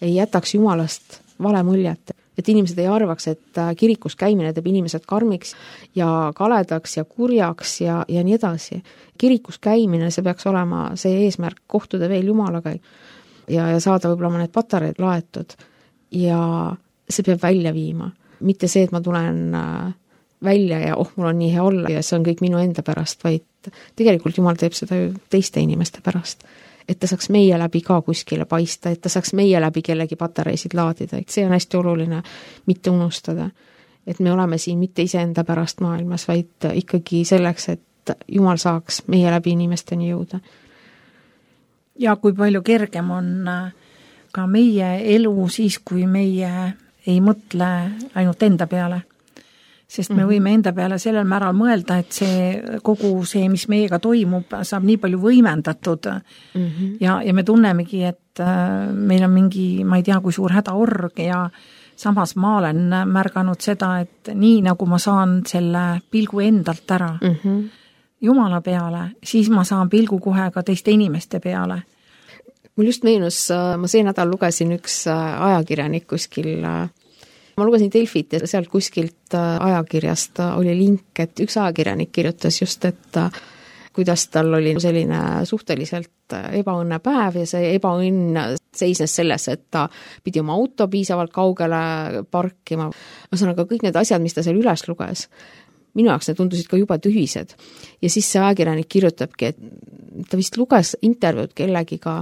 ei jätaks Jumalast vale muljet. Et inimesed ei arvaks, et kirikus käimine teeb inimesed karmiks ja kaledaks ja kurjaks ja nii edasi. Kirikus käimine, see peaks olema see eesmärk kohtuda veel Jumalaga ja saada võib-olla need patareid laetud ja see peab välja viima. Mitte see, et ma tulen välja ja mul on nii hea olla ja see on kõik minu enda pärast, vaid tegelikult Jumal teeb seda ju teiste inimeste pärast. Et ta saaks meie läbi ka kuskile paista, et ta saaks meie läbi kellegi patareisid laadida, et see on hästi oluline mitte unustada. Et me oleme siin mitte iseenda pärast maailmas, vaid ikkagi selleks, et Jumal saaks meie läbi inimesteni jõuda. Ja kui palju kergem on ka meie elu siis, kui meie ei mõtle ainult enda peale. Sest me võime enda peale sellel määral mõelda, et kogu see, mis meiega toimub, saab nii palju võimendatud ja me tunnemegi, et meil on mingi, ma ei tea, kui suur hädaorg ja samas ma olen märganud seda, et nii nagu ma saan selle pilgu endalt ära Jumala peale, siis ma saan pilgu kohe ka teiste inimeste peale. Mul just meenus, ma see nädal lugesin üks ajakirjanik kuskil. Ma lugesin Delfit ja sealt kuskilt ajakirjast oli link, et üks ajakirjanik kirjutas just, et kuidas tal oli selline suhteliselt ebaõnne päev ja see ebaõnn seisnes selles, et ta pidi oma auto piisavalt kaugele parkima. Ühesõnaga kõik need asjad, mis ta seal üles luges, minu jaoks need tundusid ka juba tühised. Ja siis see ajakirjanik kirjutabki, et ta vist luges intervjuud kellegiga,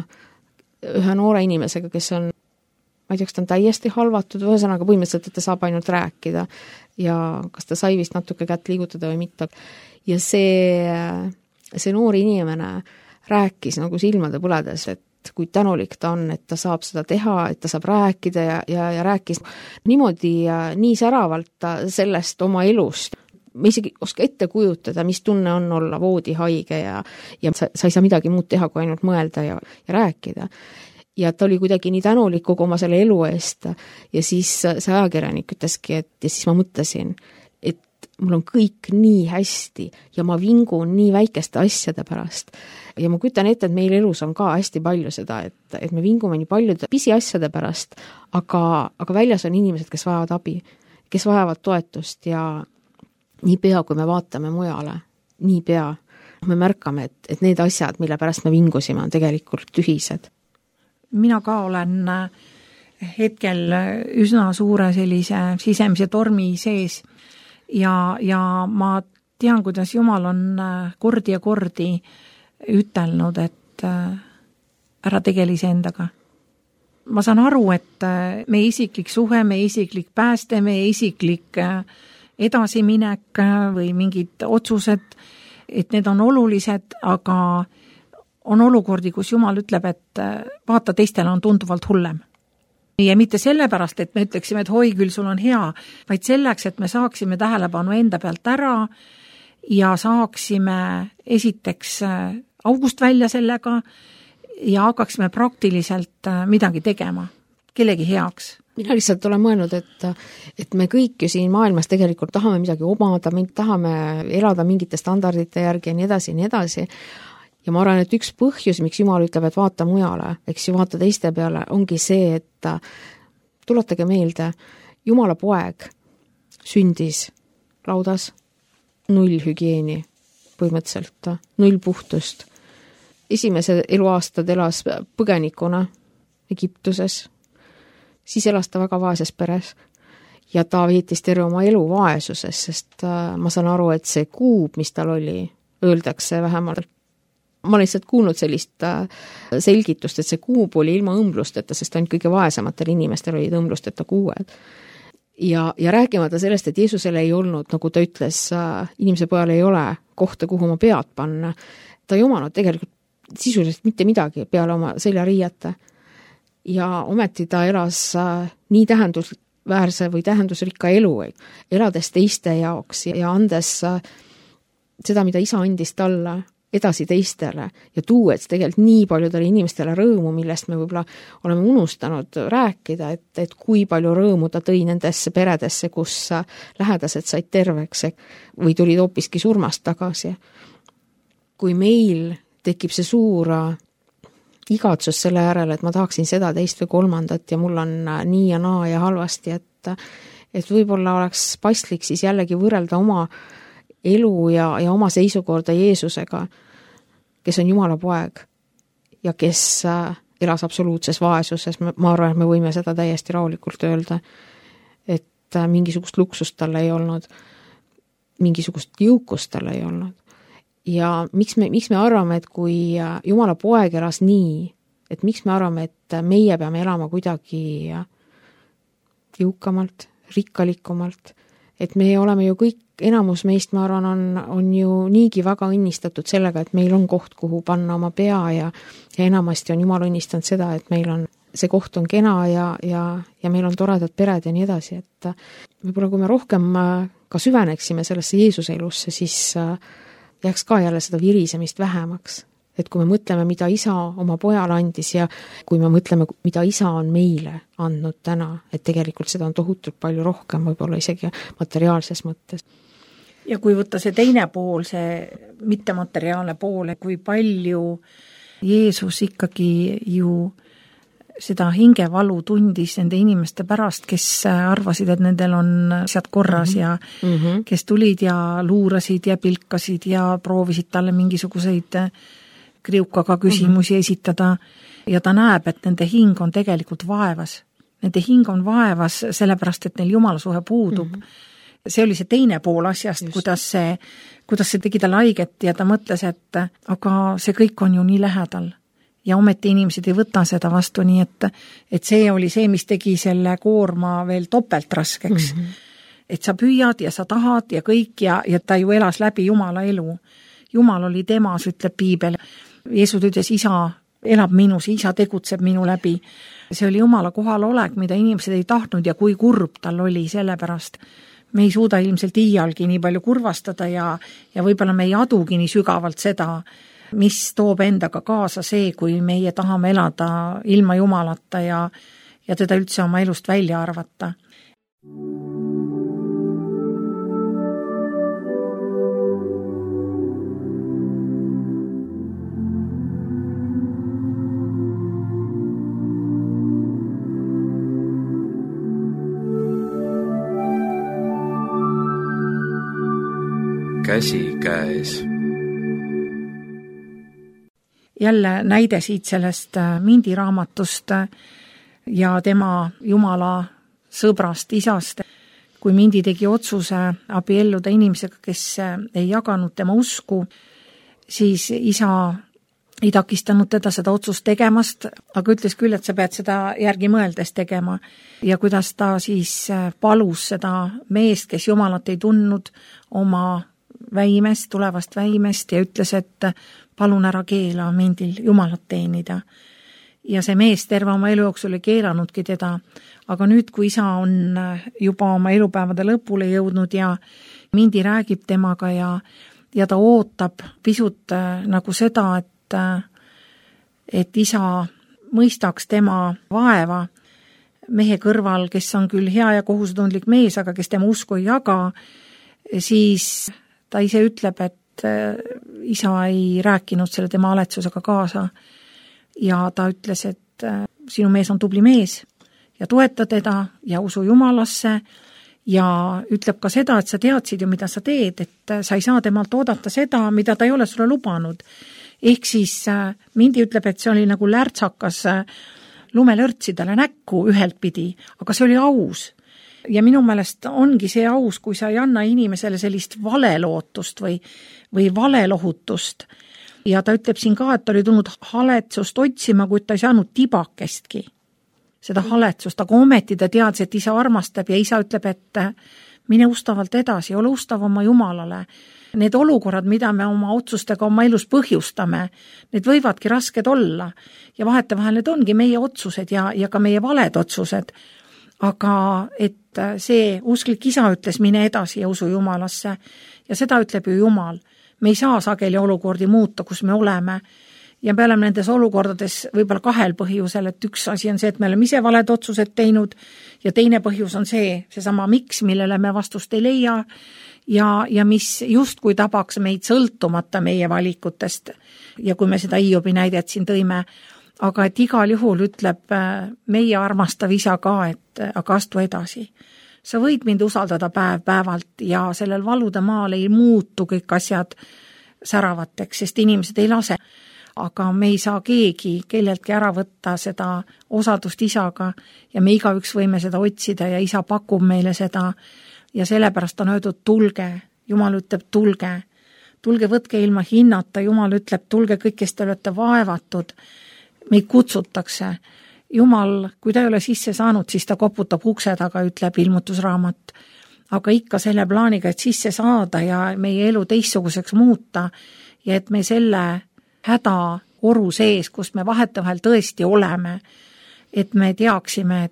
ühe noore inimesega, kes on, ma ei tea, kas ta on täiesti halvatud, ühesõnaga põhimõtteliselt, et ta saab ainult rääkida ja kas ta sai vist natuke kätt liigutada või mitte. Ja see noor inimene rääkis nagu silmade põledes, et kui tänulik ta on, et ta saab seda teha, et ta saab rääkida ja rääkis niimoodi nii säravalt sellest oma elust. Me isegi oska ette kujutada, mis tunne on olla voodihaige ja sa ei saa midagi muud teha, kui ainult mõelda ja rääkida. Ja ta oli kuidagi nii tänulik kogu oma selle elu eest ja siis see ajakirjanik ütleski, et ja siis ma mõtlesin, et mul on kõik nii hästi ja ma vingun nii väikeste asjade pärast. Ja ma kujutan ette, et meil elus on ka hästi palju seda, et me vingume nii paljude pisiasjade pärast, aga väljas on inimesed, kes vajavad abi, kes vajavad toetust ja nii pea, kui me vaatame mujale, nii pea me märkame, et need asjad, mille pärast me vingusime, on tegelikult tühised. Mina ka olen hetkel üsna suure sellise sisemise tormi sees ja ma tean, kuidas Jumal on kordi ja kordi ütelnud, et ära tegele iseendaga. Ma saan aru, et meie isiklik suhe, meie isiklik pääste, meie isiklik edasiminek või mingid otsused, et need on olulised, aga on olukordi, kus Jumal ütleb, et vaata, teistele on tunduvalt hullem. Ja mitte sellepärast, et me ütleksime, et hoi, küll sul on hea, vaid selleks, et me saaksime tähelepanu enda pealt ära ja saaksime esiteks august välja sellega ja hakkaksime praktiliselt midagi tegema, kellegi heaks. Mina lihtsalt olen mõelnud, et me kõik ju siin maailmas tegelikult tahame midagi omada, me tahame elada mingite standardite järgi ja nii edasi ja nii edasi. Ja ma arvan, et üks põhjus, miks Jumal ütleb, et vaata mujale, eks ju vaata teiste peale, ongi see, et tuletage meelde, Jumala poeg sündis laudas 0 hügieeni põhimõtteliselt, 0 puhtust. Esimese eluaastad elas põgenikuna Egiptuses, siis elas ta väga vaeses peres ja ta veetis terve oma elu vaesuses, sest ma saan aru, et see kuub, mis tal oli, öeldakse vähemalt. Ma olen lihtsalt kuulnud sellist selgitust, et see kuub oli ilma õmblusteta, sest ainult kõige vaesematel inimestel olid õmblusteta kuued. Ja rääkimata sellest, et Jeesusele ei olnud, nagu ta ütles, inimese pojal ei ole kohta, kuhu oma pead panna. Ta ei omanud tegelikult sisuliselt mitte midagi peale oma seljariiete. Ja ometi ta elas nii tähendusväärse või tähendusrikka elu, elades teiste jaoks ja andes seda, mida isa andis talle, edasi teistele ja tuues tegelikult nii paljudele inimestele rõõmu, millest me võib-olla oleme unustanud rääkida, et kui palju rõõmu ta tõi nendesse peredesse, kus lähedased said terveks või tulid hoopiski surmast tagasi. Kui meil tekib see suur igatsus selle järele, et ma tahaksin seda, teist või kolmandat ja mul on nii ja naa ja halvasti, et võib-olla oleks paslik siis jällegi võrrelda oma elu ja oma seisukorda Jeesusega, kes on Jumala poeg ja kes elas absoluutses vaesuses, ma arvan, et me võime seda täiesti rahulikult öelda, et mingisugust luksust tal ei olnud, mingisugust jõukust tal ei olnud. Ja miks me arvame, et kui Jumala poeg elas nii, et miks me arvame, et meie peame elama kuidagi jõukamalt, rikkalikumalt, et me oleme ju kõik, enamus meist, ma arvan, on ju niigi väga õnnistatud sellega, et meil on koht, kuhu panna oma pea ja enamasti on Jumal õnnistanud seda, et meil on, see koht on kena ja meil on toredad pered ja nii edasi, et võib-olla kui me rohkem ka süveneksime sellesse Jeesuse elusse, siis jääks ka jälle seda virisemist vähemaks. Et kui me mõtleme, mida isa oma pojale andis ja kui me mõtleme, mida isa on meile andnud täna, et tegelikult seda on tohutult palju rohkem, võib-olla isegi materiaalses mõttes. Ja kui võtta see teine pool, see mittemateriaalne pool, kui palju Jeesus ikkagi ju seda hingevalu tundis nende inimeste pärast, kes arvasid, et nendel on asjad korras ja kes tulid ja luurasid ja pilkasid ja proovisid talle mingisuguseid kriukaga küsimusi esitada ja ta näeb, et nende hing on tegelikult vaevas. Nende hing on vaevas sellepärast, et neil Jumala suhe puudub. See oli see teine pool asjast, kuidas see tegi talle haiget ja ta mõtles, et aga see kõik on ju nii lähedal. Ja ometi inimesed ei võta seda vastu, nii et see oli see, mis tegi selle koorma veel topelt raskeks. Et sa püüad ja sa tahad ja kõik ja ta ju elas läbi Jumala elu. Jumal oli temas, ütleb Piibel. Jeesus ütles, isa elab minus, isa tegutseb minu läbi. See oli Jumala kohalolek, mida inimesed ei tahtnud ja kui kurb tal oli sellepärast. Me ei suuda ilmselt iialgi nii palju kurvastada ja võib-olla me ei adugi nii sügavalt seda, mis toob endaga kaasa see, kui meie tahame elada ilma Jumalata ja teda üldse oma elust välja arvata. Käsi käes. Jälle näide siit sellest Mindi raamatust ja tema Jumala sõbrast, isast. Kui Mindi tegi otsuse abielluda inimesega, kes ei jaganud tema usku, siis isa ei takistanud teda seda otsust tegemast, aga ütles küll, et sa pead seda järgi mõeldes tegema. Ja kuidas ta siis palus seda meest, kes Jumalat ei tundnud, oma väimest, tulevast väimest ja ütles, et palun ära keela Mindil Jumalat teenida. Ja see mees terve oma elu jooksul ei keelanudki teda, aga nüüd, kui isa on juba oma elupäevade lõpule jõudnud ja Mindi räägib temaga ja ta ootab pisut nagu seda, et isa mõistaks tema vaeva mehe kõrval, kes on küll hea ja kohusetundlik mees, aga kes tema usku ei jaga, siis ta ise ütleb, et isa ei rääkinud selle tema aletsusega kaasa ja ta ütles, et sinu mees on tubli mees ja toeta teda ja usu Jumalasse ja ütleb ka seda, et sa teadsid ju, mida sa teed, et sa ei saa temalt oodata seda, mida ta ei ole sulle lubanud. Ehk siis Mindi ütleb, et see oli nagu lärtsakas lumelörtsidele näkku ühelt pidi, aga see oli aus. Ja minu meelest ongi see aus, kui sa ei anna inimesele sellist valelootust või valelohutust. Ja ta ütleb siin ka, et ta oli tulnud haletsust otsima, kuid ta ei saanud tibakestki seda haletsust, aga ometi ta teadis, et isa armastab ja isa ütleb, et mine ustavalt edasi, ole ustav oma Jumalale. Need olukorrad, mida me oma otsustega oma elus põhjustame, need võivadki rasked olla ja vahetevahel need ongi meie otsused ja ka meie valed otsused. Aga et see usklik isa ütles, mine edasi ja usu Jumalasse ja seda ütleb ju Jumal. Me ei saa sageli olukordi muuta, kus me oleme ja me oleme nendes olukordades võib-olla kahel põhjusel, et üks asi on see, et me oleme ise valed otsused teinud ja teine põhjus on seesama miks, millele me vastust ei leia ja mis justkui tabaks meid sõltumata meie valikutest ja kui me seda Hiobi näidet siin tõime, aga et igal juhul ütleb meie armastav isa ka, et aga astu edasi. Sa võid mind usaldada päevalt ja sellel valude maal ei muutu kõik asjad säravateks, sest inimesed ei lase. aga me ei saa keegi kelleltki ära võtta seda osadust isaga ja me igaüks võime seda otsida ja isa pakub meile seda ja sellepärast on öeldud tulge, Jumal ütleb tulge, võtke ilma hinnata, Jumal ütleb tulge kõik, kes te olete vaevatud, meid kutsutakse. Jumal, kui ta ei ole sisse saanud, siis ta koputab ukse taga, ütleb ilmutusraamat. Aga ikka selle plaaniga, et sisse saada ja meie elu teistsuguseks muuta ja et me selle hädaoru sees, kus me vahetevahel tõesti oleme, et me teaksime,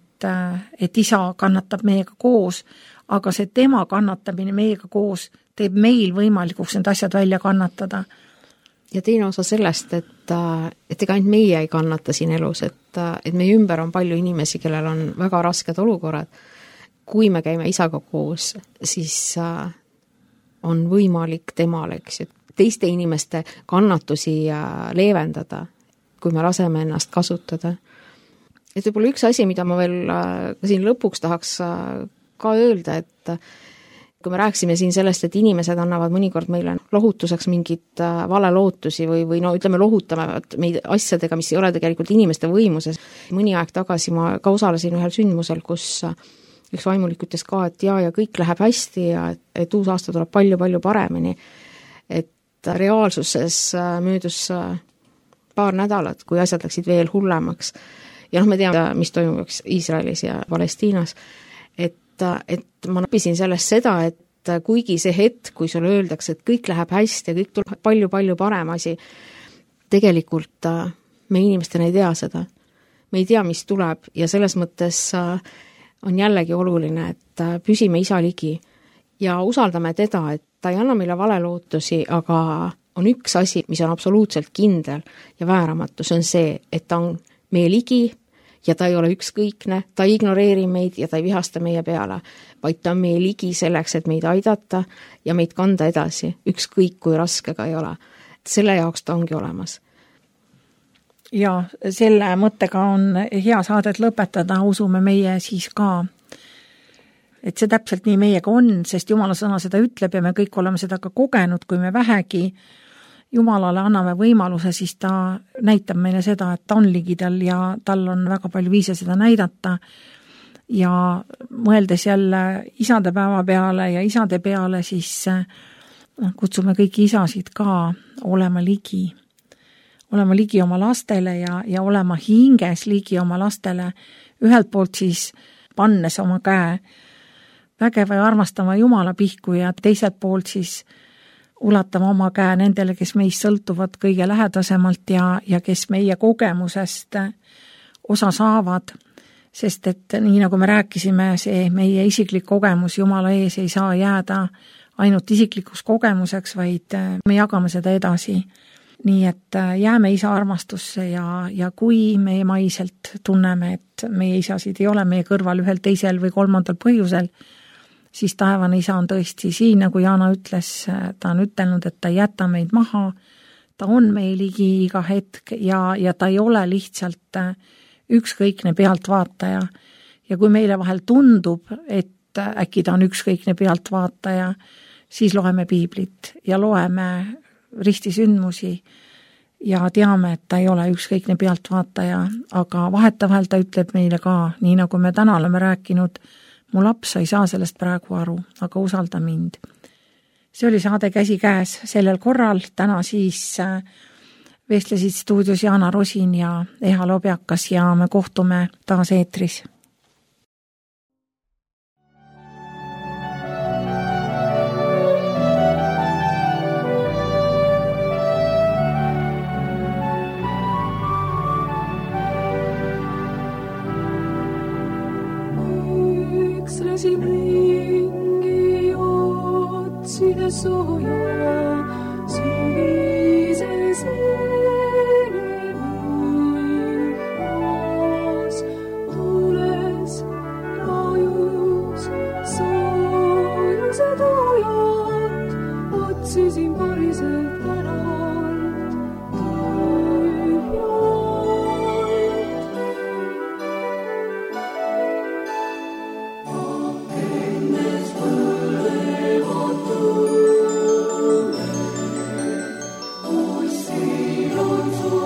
et isa kannatab meiega koos, aga see tema kannatamine meiega koos teeb meil võimalikuks need asjad välja kannatada. Ja teine osa sellest, et ega ainult meie ei kannata siin elus, et meie ümber on palju inimesi, kellel on väga rasked olukorrad. Kui me käime isaga koos, siis on võimalik temal, eks, teiste inimeste kannatusi leevendada, kui me laseme ennast kasutada. Et võib-olla üks asi, mida ma veel siin lõpuks tahaks ka öelda, et kui me rääksime siin sellest, et inimesed annavad mõnikord meile lohutuseks mingit valelootusi või no ütleme, lohutame meid asjadega, mis ei ole tegelikult inimeste võimuses. Mõni aeg tagasi ma ka osalesin ühel sündmusel, kus üks vaimulik ütles ka, et ja kõik läheb hästi ja et uus aasta tuleb palju-palju paremini. Et reaalsuses möödus paar nädalat, kui asjad läksid veel hullemaks. Ja me teame, mis toimub Iisraelis ja Palestiinas. Et ma näpisin sellest seda, et kuigi see hetk, kui sulle öeldakse, et kõik läheb hästi ja kõik tuleb palju-palju parem asi, tegelikult me inimestena ei tea seda. Me ei tea, mis tuleb ja selles mõttes on jällegi oluline, et püsime isa ligi ja usaldame teda, et ta ei anna meile valelootusi, aga on üks asi, mis on absoluutselt kindel ja vääramatu, see on see, et ta on meie ligi ja ta ei ole ükskõikne, ta ei ignoreeri meid ja ta ei vihasta meie peale, vaid ta on meie ligi selleks, et meid aidata ja meid kanda edasi, ükskõik kui raske ka ei ole. Selle jaoks ta ongi olemas. Ja selle mõttega on hea saadet lõpetada, usume meie siis ka, et see täpselt nii meiega on, sest Jumala sõna seda ütleb ja me kõik oleme seda ka kogenud, kui me vähegi Jumalale anname võimaluse, siis ta näitab meile seda, et ta on ligidal ja tal on väga palju viise seda näidata. Ja mõeldes jälle isadepäeva peale ja isade peale, siis kutsume kõiki isasid ka olema ligi oma lastele ja olema hinges ligi oma lastele. Ühelt poolt siis pannes oma käe vägeva ja armastama Jumala pihku ja teiselt poolt siis ulatama oma käe nendele, kes meist sõltuvad kõige lähedasemalt ja kes meie kogemusest osa saavad, sest et nii nagu me rääkisime, see meie isiklik kogemus Jumala ees ei saa jääda ainult isiklikuks kogemuseks, vaid me jagame seda edasi. Nii et jääme isa armastusse ja kui meie maiselt tunneme, et meie isasid ei ole meie kõrval ühel teisel või kolmandal põhjusel, siis taevane isa on tõesti siin, nagu Jaana ütles, ta on ütelnud, et ta ei jäta meid maha, ta on meie ligi iga hetk ja ta ei ole lihtsalt ükskõikne pealtvaataja. Ja kui meile vahel tundub, et äkki ta on ükskõikne pealtvaataja, siis loeme piiblit ja loeme ristisündmusi ja teame, et ta ei ole ükskõikne pealtvaataja, aga vahetevahel ta ütleb meile ka, nii nagu me täna oleme rääkinud, mu laps ei saa sellest praegu aru, aga usalda mind. See oli saade Käsikäes sellel korral, täna siis vestlesid stuudios Jaana Rosin ja Eha Lobjakas ja me kohtume taas eetris. Läksin ringi otsides sooja, sügises venemas. Tules rajus soojuse tuujat, otsisin pariselt tänalt tühjalt. Kus siin on su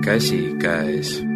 käsikäes.